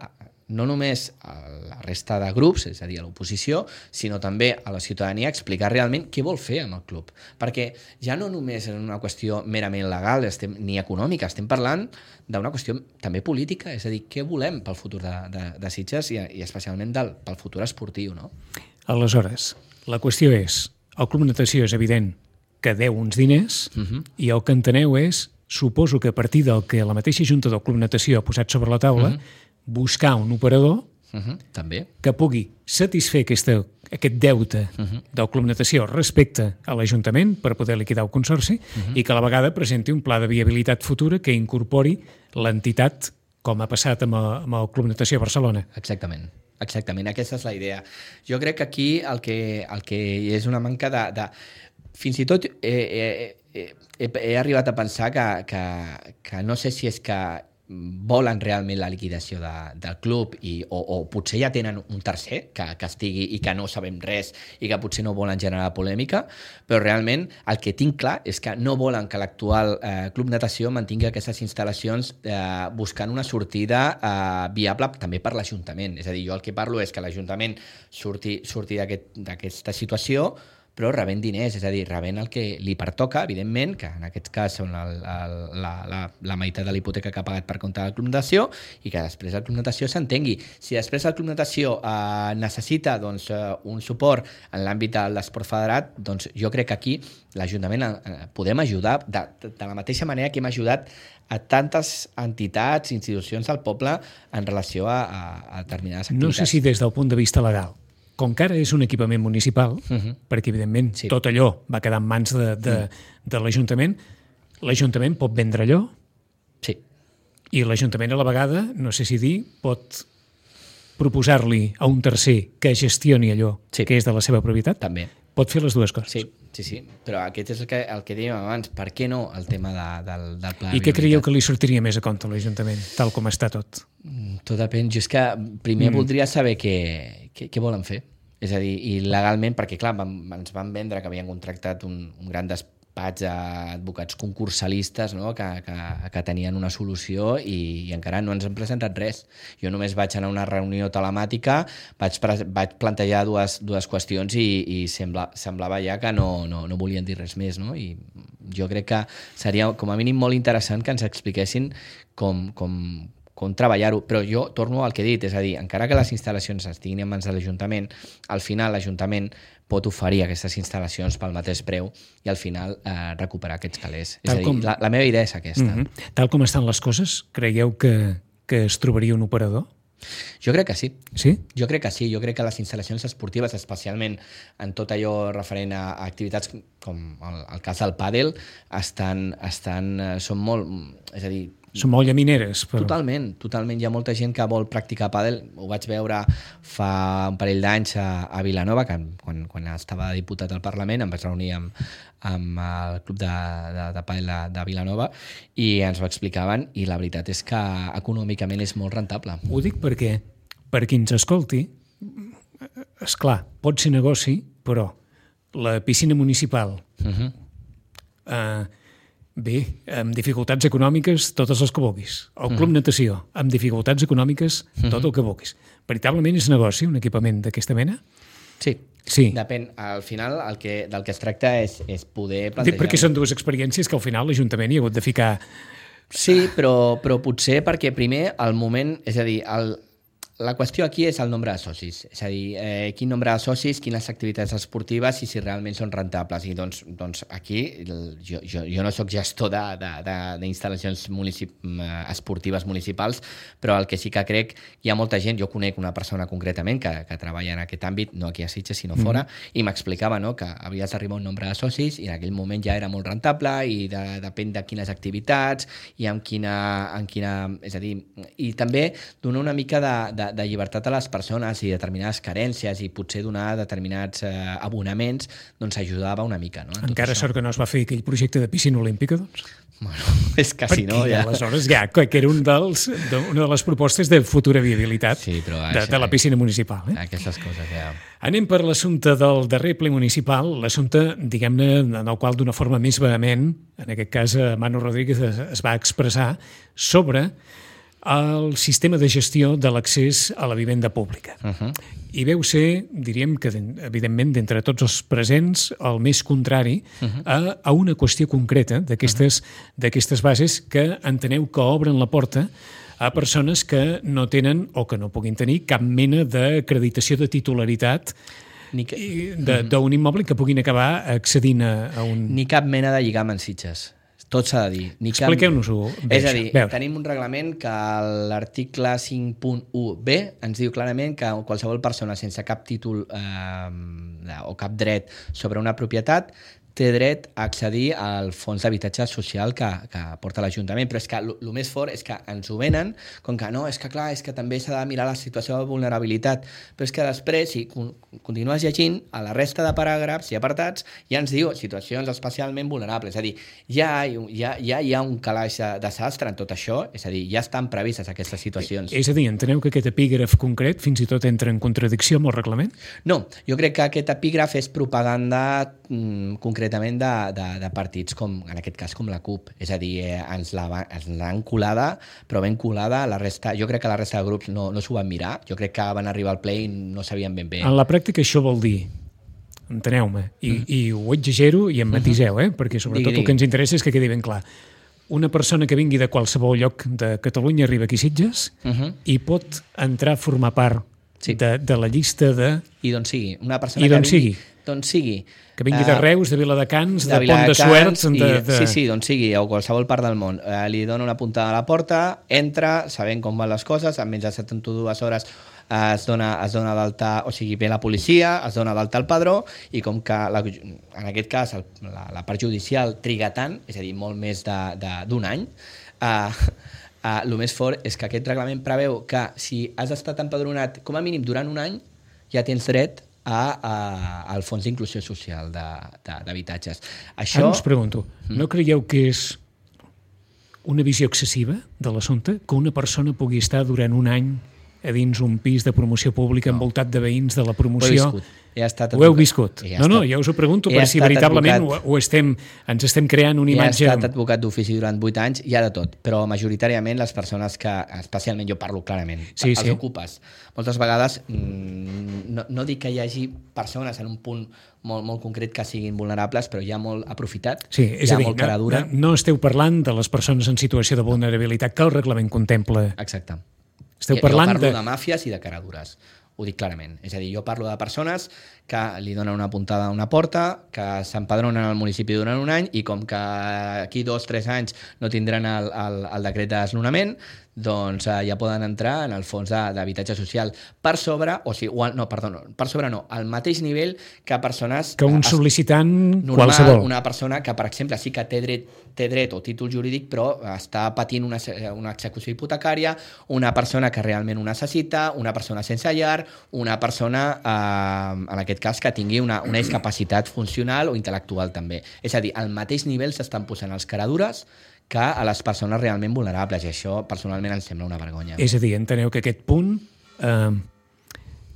Speaker 3: no només a la resta de grups, és a dir, a l'oposició, sinó també a la ciutadania explicar realment què vol fer amb el club. Perquè ja no només és una qüestió merament legal estem, ni econòmica, estem parlant d'una qüestió també política, és a dir, què volem pel futur de, de, de Sitges i, i especialment del, pel futur esportiu, no?
Speaker 2: Aleshores, la qüestió és, el Club Natació és evident que deu uns diners uh-huh. i el que enteneu és, suposo que a partir del que la mateixa Junta del Club Natació ha posat sobre la taula, uh-huh. buscar un operador
Speaker 3: uh-huh, també.
Speaker 2: que pugui satisfer aquesta, aquest deute uh-huh. del Club Natació respecte a l'Ajuntament per poder liquidar el consorci uh-huh. i que a la vegada presenti un pla de viabilitat futura que incorpori l'entitat com ha passat amb el, amb el Club Natació Barcelona.
Speaker 3: Exactament. exactament, aquesta és la idea. Jo crec que aquí el que, el que és una manca de... de fins i tot he, he, he, he arribat a pensar que, que, que no sé si és que volen realment la liquidació de, del club i, o, o potser ja tenen un tercer que, que estigui i que no sabem res i que potser no volen generar polèmica, però realment el que tinc clar és que no volen que l'actual eh, Club Natació mantingui aquestes instal·lacions eh, buscant una sortida eh, viable també per l'Ajuntament. És a dir, jo el que parlo és que l'Ajuntament surti, surti d'aquesta aquest, situació però rebent diners, és a dir, rebent el que li pertoca, evidentment, que en aquest cas són el, el, la, la, la meitat de la hipoteca que ha pagat per compte del Club Natació i que després el Club Natació s'entengui. Si després el Club Natació eh, necessita doncs, eh, un suport en l'àmbit de l'esport federat, doncs jo crec que aquí l'Ajuntament eh, podem ajudar de, de, de la mateixa manera que hem ajudat a tantes entitats, institucions del poble en relació a, a, a determinades activitats.
Speaker 2: No sé si des del punt de vista legal, com que ara és un equipament municipal, uh-huh. perquè evidentment sí. tot allò va quedar en mans de, de, uh-huh. de l'Ajuntament, l'Ajuntament pot vendre allò
Speaker 3: sí.
Speaker 2: i l'Ajuntament a la vegada, no sé si dir, pot proposar-li a un tercer que gestioni allò sí. que és de la seva propietat.
Speaker 3: També.
Speaker 2: Pot fer les dues coses.
Speaker 3: Sí, sí, sí. Però aquest és el que, el que dèiem abans. Per què no el tema de, del, del pla de
Speaker 2: I què creieu que li sortiria més a compte a l'Ajuntament, tal com està tot?
Speaker 3: Tot depèn. Jo és que primer mm. voldria saber què, què, què volen fer. És a dir, i legalment, perquè clar, van, ens van vendre que havien contractat un, un gran despatx d'advocats concursalistes, no? que, que, que tenien una solució i, i encara no ens han presentat res. Jo només vaig anar a una reunió telemàtica, vaig, vaig plantejar dues, dues qüestions i, i sembla, semblava ja que no, no, no volien dir res més. No? I jo crec que seria com a mínim molt interessant que ens expliquessin com, com, com treballar-ho, però jo torno al que he dit, és a dir, encara que les instal·lacions estiguin en mans de l'Ajuntament, al final l'Ajuntament pot oferir aquestes instal·lacions pel mateix preu i al final eh, recuperar aquests calés. És a dir, com... la, la meva idea és aquesta.
Speaker 2: Mm-hmm. Tal com estan les coses, creieu que, que es trobaria un operador?
Speaker 3: Jo crec que sí.
Speaker 2: Sí?
Speaker 3: Jo crec que sí. Jo crec que les instal·lacions esportives, especialment en tot allò referent a, a activitats com el, el cas del pàdel, estan, estan, són molt... És a dir,
Speaker 2: són molt llamineres. Però...
Speaker 3: Totalment, totalment. Hi ha molta gent que vol practicar pàdel. Ho vaig veure fa un parell d'anys a, a Vilanova, que quan, quan estava diputat al Parlament em vaig reunir amb, amb el club de, de, de pàdel de, de Vilanova i ens ho explicaven i la veritat és que econòmicament és molt rentable.
Speaker 2: Ho dic perquè, per qui ens escolti, esclar, pot ser negoci, però la piscina municipal... Uh-huh. Eh, Bé, amb dificultats econòmiques, totes les que vulguis. El Club uh-huh. Natació, amb dificultats econòmiques, uh-huh. tot el que vulguis. Veritablement és negoci, un equipament d'aquesta mena?
Speaker 3: Sí.
Speaker 2: Sí.
Speaker 3: Depèn. Al final, el que, del que es tracta és, és poder plantejar...
Speaker 2: Perquè són dues experiències que al final l'Ajuntament hi ha hagut de ficar...
Speaker 3: Sí, però, però potser perquè primer el moment... És a dir, el, la qüestió aquí és el nombre de socis. És a dir, eh, quin nombre de socis, quines activitats esportives i si realment són rentables. I doncs, doncs aquí jo, jo, jo no sóc gestor d'instal·lacions municip, esportives municipals, però el que sí que crec, hi ha molta gent, jo conec una persona concretament que, que treballa en aquest àmbit, no aquí a Sitges, sinó fora, mm-hmm. i m'explicava no, que havies d'arribar a un nombre de socis i en aquell moment ja era molt rentable i de, depèn de quines activitats i amb quina, en quina... És a dir, i també donar una mica de, de de llibertat a les persones i determinades carències i potser donar determinats eh, abonaments, doncs ajudava una mica. No?
Speaker 2: Encara sort que no es va fer aquell projecte de piscina olímpica, doncs?
Speaker 3: Bueno, és que si no...
Speaker 2: Ja. Aleshores ja, que era un dels, de, una de les propostes de futura viabilitat
Speaker 3: sí, però,
Speaker 2: de, de la piscina municipal. Eh?
Speaker 3: Aquestes coses, ja...
Speaker 2: Anem per l'assumpte del darrer ple municipal, l'assumpte, diguem-ne, en el qual d'una forma més vehement, en aquest cas Manu Rodríguez es, es va expressar sobre el sistema de gestió de l'accés a la vivenda pública. Uh-huh. I veu ser, diríem que, evidentment, d'entre tots els presents, el més contrari uh-huh. a, a una qüestió concreta d'aquestes uh-huh. d'aquestes bases que enteneu que obren la porta a persones que no tenen o que no puguin tenir cap mena d'acreditació de titularitat Ni que... d'un immoble que puguin acabar accedint a, a un...
Speaker 3: Ni cap mena de lligam en Sitges. Tot s'ha de dir.
Speaker 2: Expliqueu-nos-ho bé.
Speaker 3: És a dir, Veure. tenim un reglament que l'article cinc punt u be ens diu clarament que qualsevol persona sense cap títol eh, o cap dret sobre una propietat té dret a accedir al fons d'habitatge social que, que porta l'Ajuntament, però és que el més fort és que ens ho venen com que no, és que clar, és que també s'ha de mirar la situació de vulnerabilitat, però és que després, si continues llegint, a la resta de paràgrafs i apartats ja ens diu situacions especialment vulnerables, és a dir, ja, ja, ja hi ha un calaix de desastre en tot això, és a dir, ja estan previstes aquestes situacions.
Speaker 2: És a dir, enteneu que aquest epígraf concret fins i tot entra en contradicció amb el reglament?
Speaker 3: No, jo crec que aquest epígraf és propaganda mm, concretament de, de, de partits com, en aquest cas, com la CUP. És a dir, eh, ens l'han colada, però ben colada. La resta, jo crec que la resta de grups no, no s'ho van mirar. Jo crec que van arribar al ple i no sabien ben bé.
Speaker 2: En la pràctica això vol dir, enteneu-me, i, mm. i ho exagero i em matiseu, eh? Perquè sobretot digui, digui. El que ens interessa és que quedi ben clar. Una persona que vingui de qualsevol lloc de Catalunya arriba aquí a Sitges uh -huh. i pot entrar a formar part sí. de, de la llista de...
Speaker 3: I d'on sigui. Una persona
Speaker 2: I d'on
Speaker 3: que vingui,
Speaker 2: sigui.
Speaker 3: D'on sigui.
Speaker 2: Que vingui de Reus, de Viladecans, de, de Pont de Suert... De, de...
Speaker 3: Sí, sí, d'on sigui, o qualsevol part del món. Eh, li dona una puntada a la porta, entra, sabent com van les coses, en menys de setanta-dues hores eh, es dona, es dona d'alta, o sigui, ve la policia, es dona d'alta al padró, i com que, la, en aquest cas, el, la, la part judicial triga tant, és a dir, molt més d'un any, eh, Uh, el més fort és que aquest reglament preveu que si has estat empadronat com a mínim durant un any, ja tens dret a, a, al fons d'inclusió social d'habitatges. Això...
Speaker 2: Ara us pregunto, no creieu que és una visió excessiva de l'assumpte que una persona pugui estar durant un any a dins un pis de promoció pública no. envoltat de veïns de la promoció?
Speaker 3: Ho he viscut. Ja estat
Speaker 2: ho heu viscut?
Speaker 3: Ja
Speaker 2: no, no, jo us ho pregunto per si veritablement ho, ho estem, ens estem creant una imatge...
Speaker 3: He estat advocat d'ofici durant vuit anys, hi ha de tot, però majoritàriament les persones que, especialment jo parlo clarament,
Speaker 2: sí,
Speaker 3: els
Speaker 2: sí.
Speaker 3: ocupes, moltes vegades no, no dic que hi hagi persones en un punt molt, molt concret que siguin vulnerables, però hi ha molt aprofitat,
Speaker 2: sí, és
Speaker 3: hi ha
Speaker 2: a dir,
Speaker 3: molt cara dura.
Speaker 2: No, no esteu parlant de les persones en situació de vulnerabilitat que el reglament contempla.
Speaker 3: Exacte.
Speaker 2: Esteu parlant
Speaker 3: jo parlo
Speaker 2: de...
Speaker 3: de màfies i de caradures. Ho dic clarament. És a dir, jo parlo de persones que li donen una puntada a una porta, que s'empadronen al municipi durant un any i com que aquí dos o tres anys no tindran el, el, el decret de desnonament, doncs eh, ja poden entrar en el fons d'habitatge social per sobre, o sigui, o, no, perdó, no, per sobre no, al mateix nivell que persones...
Speaker 2: Que un sol·licitant
Speaker 3: normal,
Speaker 2: qualsevol.
Speaker 3: Una persona que, per exemple, sí que té dret, té dret o títol jurídic, però està patint una, una execució hipotecària, una persona que realment ho necessita, una persona sense llar, una persona, eh, en aquest cas, que tingui una, una discapacitat funcional o intel·lectual també. És a dir, al mateix nivell s'estan posant els caradures que a les persones realment vulnerables, i això personalment em sembla una vergonya.
Speaker 2: És a dir, enteneu que aquest punt eh,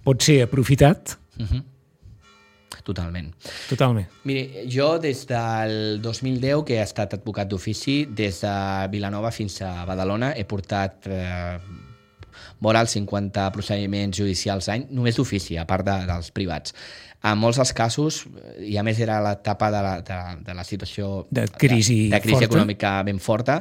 Speaker 2: pot ser aprofitat?
Speaker 3: Uh-huh. Totalment.
Speaker 2: Totalment.
Speaker 3: Miri, jo des del dos mil deu, que he estat advocat d'ofici, des de Vilanova fins a Badalona, he portat eh, vora els cinquanta procediments judicials l'any, només d'ofici, a part de, dels privats. En molts dels casos, i a més era l'etapa de, la, de, de la situació
Speaker 2: de crisi,
Speaker 3: de, de crisi
Speaker 2: forta.
Speaker 3: econòmica ben forta,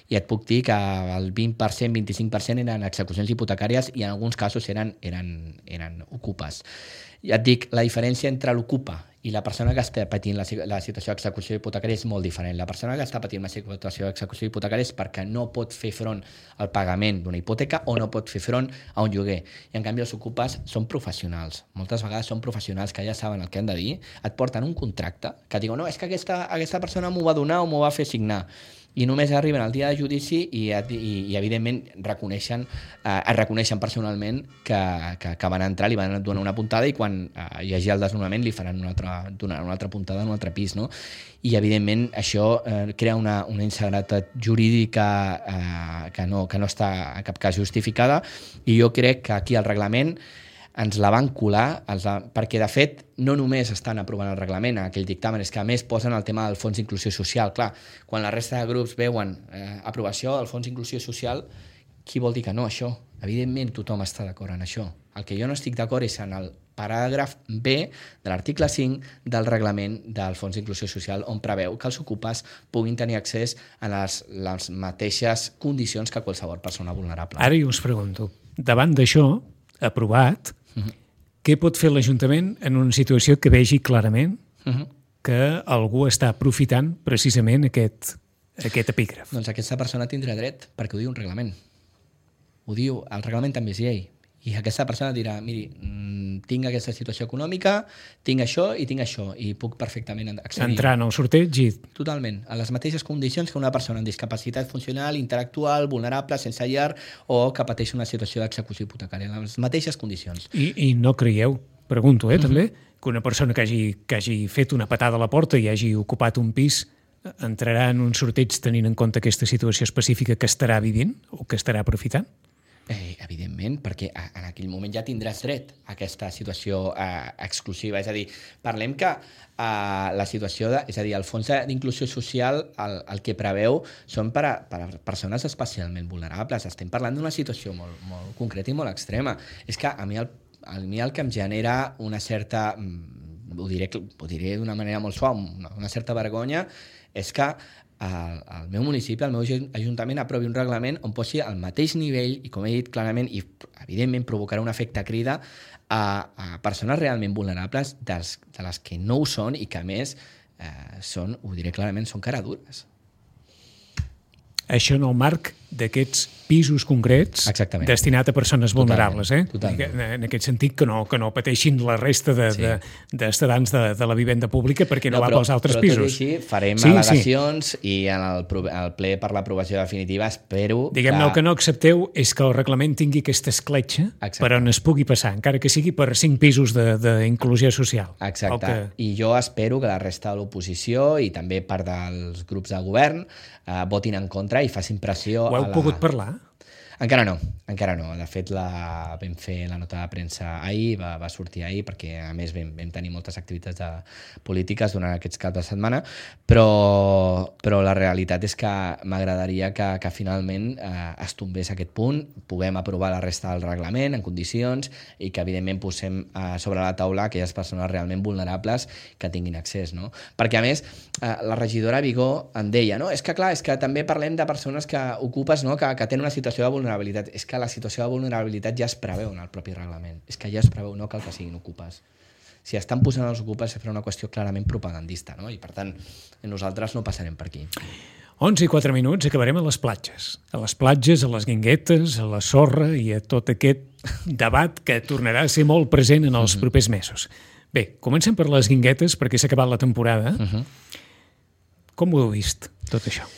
Speaker 3: i et puc dir que el vint per cent, vint-i-cinc per cent eren execucions hipotecàries i en alguns casos eren, eren, eren ocupes. Ja et dic, la diferència entre l'ocupa i la persona que està patint la, la situació d'execució hipotecària és molt diferent. La persona que està patint una situació d'execució hipotecària és perquè no pot fer front al pagament d'una hipoteca o no pot fer front a un lloguer. I en canvi els ocupes són professionals. Moltes vegades són professionals que ja saben el que han de dir, et porten un contracte que diuen, no, és que aquesta, aquesta persona m'ho va donar o m'ho va fer signar. I només arriben al dia de judici i, i, i evidentment reconeixen, eh, es reconeixen personalment que, que, que van entrar, li van donar una puntada i quan eh, hi hagi el desnonament li faran una altra, donar una altra puntada en un altre pis, no? I evidentment això eh, crea una, una inseguretat jurídica eh, que, no, que no està en cap cas justificada, i jo crec que aquí el reglament ens la van colar, els la... perquè de fet no només estan aprovant el reglament, aquell dictamen, és que a més posen el tema del fons d'inclusió social. Clar, quan la resta de grups veuen eh, aprovació del fons d'inclusió social, qui vol dir que no, això? Evidentment tothom està d'acord en això. El que jo no estic d'acord és en el paràgraf B de l'article cinc del reglament del fons d'inclusió social, on preveu que els ocupes puguin tenir accés a les, les mateixes condicions que qualsevol persona vulnerable.
Speaker 2: Ara jo us pregunto, davant d'això, aprovat, uh-huh. què pot fer l'Ajuntament en una situació que vegi clarament uh-huh. que algú està aprofitant precisament aquest, aquest epígraf?
Speaker 3: Doncs aquesta persona tindrà dret, perquè ho diu un reglament. Ho diu, el reglament també és llei. I aquesta persona dirà, miri, tinc aquesta situació econòmica, tinc això i tinc això, i puc perfectament accedir.
Speaker 2: Entrar en el sorteig i...
Speaker 3: Totalment, a les mateixes condicions que una persona amb discapacitat funcional, intel·lectual, vulnerable, sense llar, o que pateix una situació d'execució hipotecària, en les mateixes condicions.
Speaker 2: I, i no creieu, pregunto, eh, uh-huh. també, que una persona que hagi, que hagi fet una patada a la porta i hagi ocupat un pis entrarà en un sorteig tenint en compte aquesta situació específica que estarà vivint o que estarà aprofitant?
Speaker 3: Eh, evidentment, perquè en aquell moment ja tindràs dret a aquesta situació eh, exclusiva. És a dir, parlem que eh, la situació, de, és a dir, el fons d'inclusió social el, el que preveu són per a, per a persones especialment vulnerables. Estem parlant d'una situació molt, molt concreta i molt extrema. És que a mi el, a mi el que em genera una certa, ho diré, ho diré d'una manera molt suau, una, una certa vergonya, és que el, el meu municipi, el meu ajuntament aprovi un reglament on posi al mateix nivell i, com he dit clarament, i evidentment provocarà un efecte crida a, a persones realment vulnerables dels, de les que no ho són i que a més eh, són, ho diré clarament, són caradures.
Speaker 2: Això en el marc d'aquests pisos concrets
Speaker 3: Exactament.
Speaker 2: Destinat a persones vulnerables,
Speaker 3: totalment,
Speaker 2: eh?
Speaker 3: Totalment.
Speaker 2: En aquest sentit que no, que no pateixin la resta de, sí. de, d'estadants de, de la vivenda pública perquè no, no va
Speaker 3: però,
Speaker 2: pels altres
Speaker 3: però
Speaker 2: pisos.
Speaker 3: Però tot i així farem
Speaker 2: sí,
Speaker 3: al·legacions sí. i en el, el ple per l'aprovació definitiva espero
Speaker 2: Diguem-ne,
Speaker 3: que...
Speaker 2: el que no accepteu és que el reglament tingui aquesta escletxa Exacte. Per on es pugui passar, encara que sigui per cinc pisos d'inclusió social.
Speaker 3: Exacte,
Speaker 2: que...
Speaker 3: i jo espero que la resta de l'oposició i també part dels grups de govern eh, votin en contra i facin pressió.
Speaker 2: Ho heu
Speaker 3: a la...
Speaker 2: pogut parlar?
Speaker 3: Encara no, encara no. De fet, la, vam fer la nota de premsa ahir, va, va sortir ahir, perquè a més vam, vam tenir moltes activitats de, polítiques durant aquests caps de setmana, però, però la realitat és que m'agradaria que, que finalment eh, es tombés aquest punt, puguem aprovar la resta del reglament en condicions i que evidentment posem eh, sobre la taula aquelles persones realment vulnerables que tinguin accés, no? Perquè a més, eh, la regidora Vigó em deia, no? És que clar, és que també parlem de persones que ocupes, no? que, que tenen una situació de vulnerabilitat. És que la situació de vulnerabilitat ja es preveu en el propi reglament. És que ja es preveu, no cal que siguin ocupes. Si estan posant els ocupes és per una qüestió clarament propagandista, no? I per tant, nosaltres no passarem per aquí.
Speaker 2: onze i quatre minuts, acabarem a les platges. A les platges, a les guinguetes, a la sorra i a tot aquest debat que tornarà a ser molt present en els propers mesos. Bé, comencem per les guinguetes perquè s'ha acabat la temporada. Uh-huh. Com ho heu vist, tot això?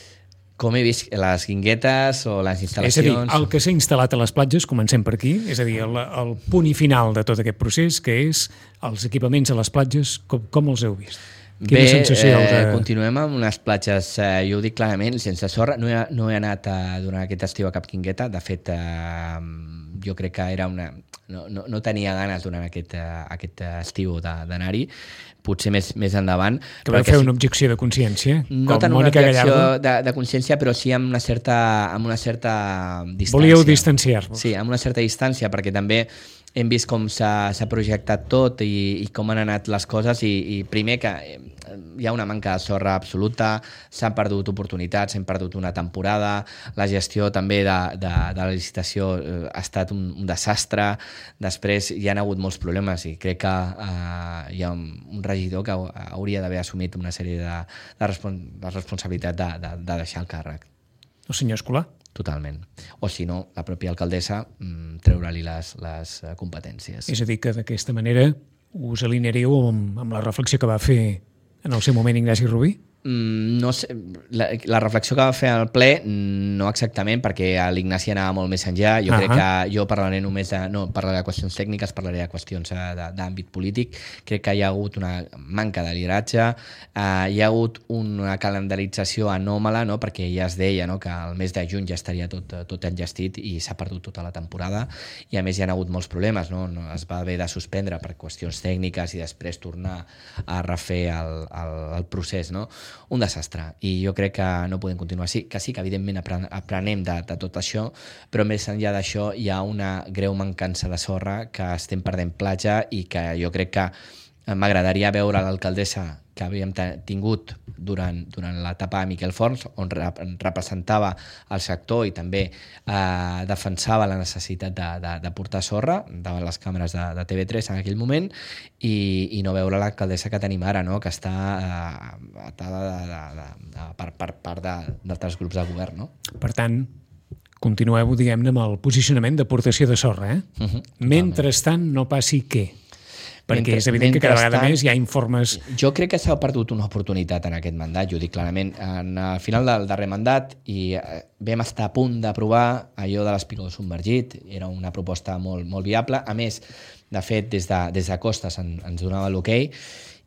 Speaker 3: Com he vist les guinguetes o les instal·lacions...
Speaker 2: És a dir, el que s'ha instal·lat a les platges, comencem per aquí, és a dir, el, el punt i final de tot aquest procés, que és els equipaments a les platges, com, com els heu vist? Quina
Speaker 3: Bé,
Speaker 2: sensació
Speaker 3: eh,
Speaker 2: de...
Speaker 3: continuem amb unes platges, eh, jo ho dic clarament, sense sorra. No he, no he anat a, durant aquest estiu a cap guingueta, de fet, eh, jo crec que era una... No, no, no tenia ganes durant aquest, uh, aquest estiu d'anar-hi, potser més, més endavant.
Speaker 2: Que vau fer una objecció de consciència?
Speaker 3: No tant una objecció de, de consciència, però sí amb una certa, amb una certa distància.
Speaker 2: Volíeu distanciar-vos?
Speaker 3: Sí, amb una certa distància, perquè també hem vist com s'ha projectat tot i, i com han anat les coses i, i primer que hi ha una manca de sorra absoluta, s'han perdut oportunitats, s'han perdut una temporada, la gestió també de, de, de la licitació ha estat un, un desastre, després hi ha hagut molts problemes i crec que eh, hi ha un, un regidor que hauria d'haver assumit una sèrie de, de, respon de responsabilitat de, de, de deixar el càrrec.
Speaker 2: El senyor Escolà?
Speaker 3: Totalment. O si no, la pròpia alcaldessa mm, treure-li les, les competències.
Speaker 2: És a dir, que d'aquesta manera us alinearíeu amb, amb la reflexió que va fer en el seu moment Ignasi Rubí?
Speaker 3: Mm, no sé, la, la reflexió que va fer al ple no exactament, perquè l'Ignasi anava molt més enllà. Jo uh -huh. crec que jo parlaré només de, no parlaré de qüestions tècniques, parlaré de qüestions d'àmbit polític. Crec que hi ha hagut una manca de lideratge, eh, hi ha hagut una calendarització anòmala, no? Perquè ja es deia, no? que el mes de juny ja estaria tot, tot enllestit i s'ha perdut tota la temporada i a més hi ha hagut molts problemes, no? Es va haver de suspendre per qüestions tècniques i després tornar a refer el, el, el procés, no? Un desastre, i jo crec que no podem continuar així, que sí que evidentment aprenem de, de tot això, però més enllà d'això hi ha una greu mancança de sorra, que estem perdent platja i que jo crec que m'agradaria veure l'alcaldessa que havíem tingut durant, durant l'etapa de Miquel Forns, on representava el sector i també eh, defensava la necessitat de, de, de portar sorra davant les càmeres de, de T V tres en aquell moment i, i no veure l'alcaldessa que tenim ara, no? Que està eh, atada de, de, de, de, per, per part d'altres grups de govern. No?
Speaker 2: Per tant, continueu, diguem-ne, amb el posicionament d'aportació de sorra, eh? Uh-huh, Mentrestant, no passi què? Perquè
Speaker 3: Mentre,
Speaker 2: és evident que cada vegada més hi ha informes...
Speaker 3: Jo crec que s'ha perdut una oportunitat en aquest mandat, jo ho dic clarament. En el final del darrer mandat i vam estar a punt d'aprovar allò de l'espigó submergit, era una proposta molt, molt viable. A més, de fet, des de, des de Costes en, ens donava l'hoquei.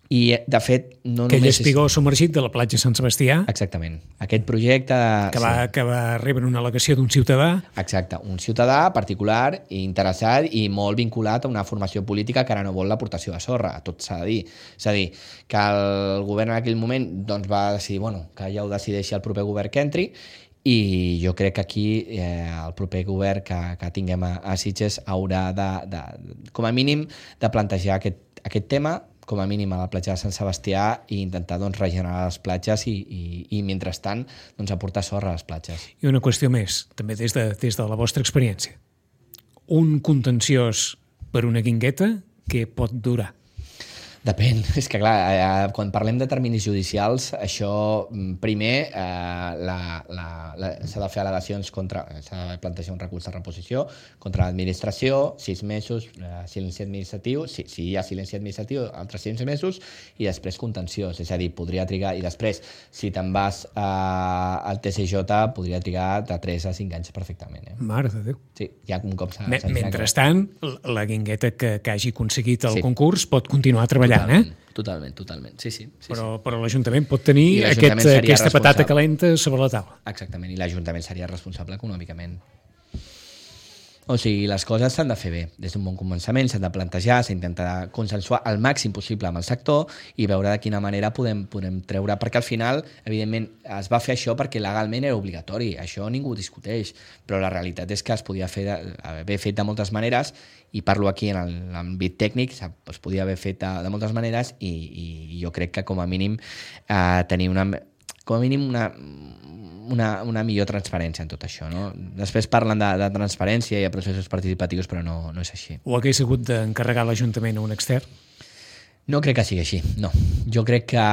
Speaker 3: I, de fet, no
Speaker 2: Aquell
Speaker 3: només...
Speaker 2: espigó és... submergit de la platja Sant Sebastià.
Speaker 3: Exactament. Aquest projecte...
Speaker 2: Que va, sí. que va rebre una al·legació d'un ciutadà.
Speaker 3: Exacte. Un ciutadà particular, interessat i molt vinculat a una formació política que ara no vol l'aportació de sorra. Tot s'ha de dir. És a dir, que el govern en aquell moment doncs, va decidir bueno, que ja ho decideixi el proper govern que entri i jo crec que aquí eh, el proper govern que, que tinguem a, a Sitges haurà de, de, com a mínim, de plantejar aquest, aquest tema com a mínim a la platja de Sant Sebastià i intentar doncs, regenerar les platges i, i, i mentrestant doncs, aportar sorra a les platges.
Speaker 2: I una qüestió més, també des de, des de la vostra experiència. Un contenciós per una guingueta que pot durar?
Speaker 3: Depèn. És que, clar, eh, quan parlem de terminis judicials, això, primer, eh, la, la, la, s'ha de fer al·legacions contra... s'ha de plantejar un recurs de reposició contra l'administració, sis mesos, eh, silenci administratiu, si, si hi ha silenci administratiu, altres sis mesos, i després contenciós. És a dir, podria trigar... I després, si te'n vas eh, al T C J, podria trigar de tres a cinc anys perfectament. Eh?
Speaker 2: Mare de Déu.
Speaker 3: Sí, ja un cop s'ha...
Speaker 2: Me, mentrestant, la guingueta que, que hagi aconseguit el
Speaker 3: sí. concurs
Speaker 2: pot continuar treballant.
Speaker 3: Totalment,
Speaker 2: eh?
Speaker 3: totalment, totalment. Sí, sí, sí,
Speaker 2: però,
Speaker 3: sí.
Speaker 2: però l'Ajuntament pot tenir aquest, aquesta patata calenta sobre la taula.
Speaker 3: Exactament, i l'Ajuntament seria responsable econòmicament. O sigui, les coses s'han de fer bé. Des d'un bon començament s'han de plantejar, s'ha d'intentar consensuar el màxim possible amb el sector i veure de quina manera podem, podem treure, perquè al final, evidentment, es va fer això perquè legalment era obligatori, això ningú ho discuteix, però la realitat és que es podia fer de, haver fet de moltes maneres, i parlo aquí en l'àmbit tècnic, es podia haver fet de, de moltes maneres i, i jo crec que com a mínim eh, tenir una, com a mínim una, una, una millor transparència en tot això. No? Després parlen de, de transparència i de processos participatius, però no, no és així.
Speaker 2: O hagués hagut d'encarregar l'Ajuntament a un extern?
Speaker 3: No crec que sigui així, no. Jo crec que...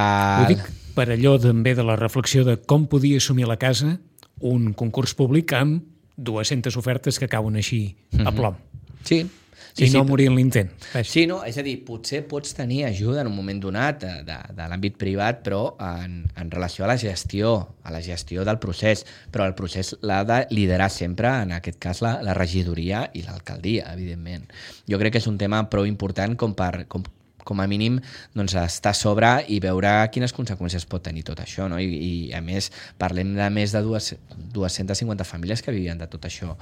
Speaker 2: Ho dic per allò també de la reflexió de com podia assumir la casa un concurs públic amb dues-centes ofertes que cauen així a plom.
Speaker 3: Sí,
Speaker 2: Sí, I
Speaker 3: sí,
Speaker 2: no morir en l'intent.
Speaker 3: Sí, no, és a dir, potser pots tenir ajuda en un moment donat de, de, de l'àmbit privat, però en, en relació a la gestió, a la gestió del procés, però el procés l'ha de liderar sempre, en aquest cas, la, la regidoria i l'alcaldia, evidentment. Jo crec que és un tema prou important com per... Com, com a mínim doncs, estar a sobre i veure quines conseqüències pot tenir tot això. No? I, I, a més, parlem de més de dues-centes cinquanta famílies que vivien de tot això.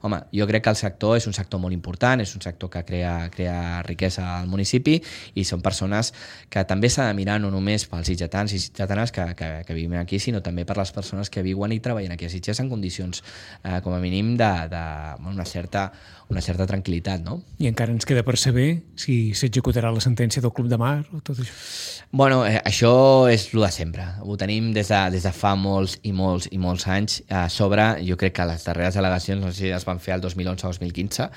Speaker 3: Home, jo crec que el sector és un sector molt important, és un sector que crea, crea riquesa al municipi i són persones que també s'ha de mirar no només pels sitgetans i sitgetanes que, que, que vivim aquí, sinó també per les persones que viuen i treballen aquí a Sitges en condicions, eh, com a mínim, de, de una certa una certa tranquil·litat, no?
Speaker 2: I encara ens queda per saber si s'executarà la sentència del Club de Mar o tot això.
Speaker 3: Bueno, eh, això és el de sempre. Ho tenim des de, des de fa molts i molts i molts anys a sobre. Jo crec que les darreres al·legacions, no sé si es van fer el dos mil onze o dos mil quinze,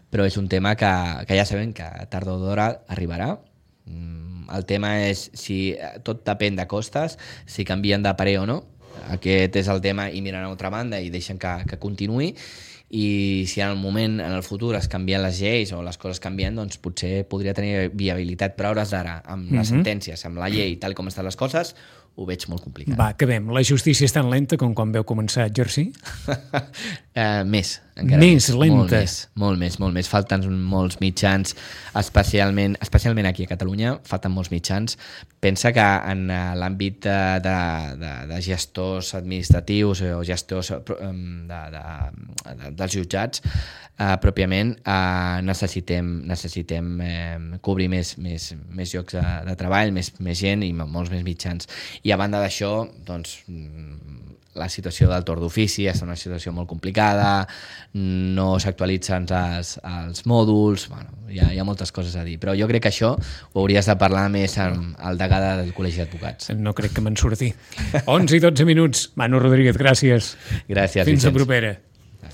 Speaker 3: però és un tema que, que ja sabem que tard o d'hora arribarà. El tema és si tot depèn de costes, si canvien de parer o no. Aquest és el tema i miren a altra banda i deixen que, que continuï. I si en el moment, en el futur, es canvien les lleis o les coses canvien, doncs potser podria tenir viabilitat, però a hores d'ara, amb les mm-hmm. sentències, amb la llei, tal com estan les coses, ho veig molt complicat.
Speaker 2: Va, acabem. La justícia és tan lenta com quan veu començar a exercir?
Speaker 3: uh, més, encara
Speaker 2: més. Més lenta.
Speaker 3: Molt més, molt més, molt més. Falten molts mitjans, especialment, especialment aquí a Catalunya, falten molts mitjans. Pensa que en l'àmbit de, de, de, de gestors administratius o gestors de, de, de, dels jutjats, eh, pròpiament, eh, necessitem, necessitem eh, cobrir més, més, més llocs de, de treball, més, més gent i molts més mitjans. I a banda d'això, doncs, la situació del torn d'ofici és una situació molt complicada, no s'actualitzen els, els mòduls, bueno, hi ha, hi ha moltes coses a dir, però jo crec que això ho hauries de parlar més amb el degà del Col·legi d'Advocats.
Speaker 2: No crec que me'n surti. onze i dotze minuts. Manu Rodríguez, gràcies.
Speaker 3: Gràcies,
Speaker 2: Fins
Speaker 3: Vicenç.
Speaker 2: la propera.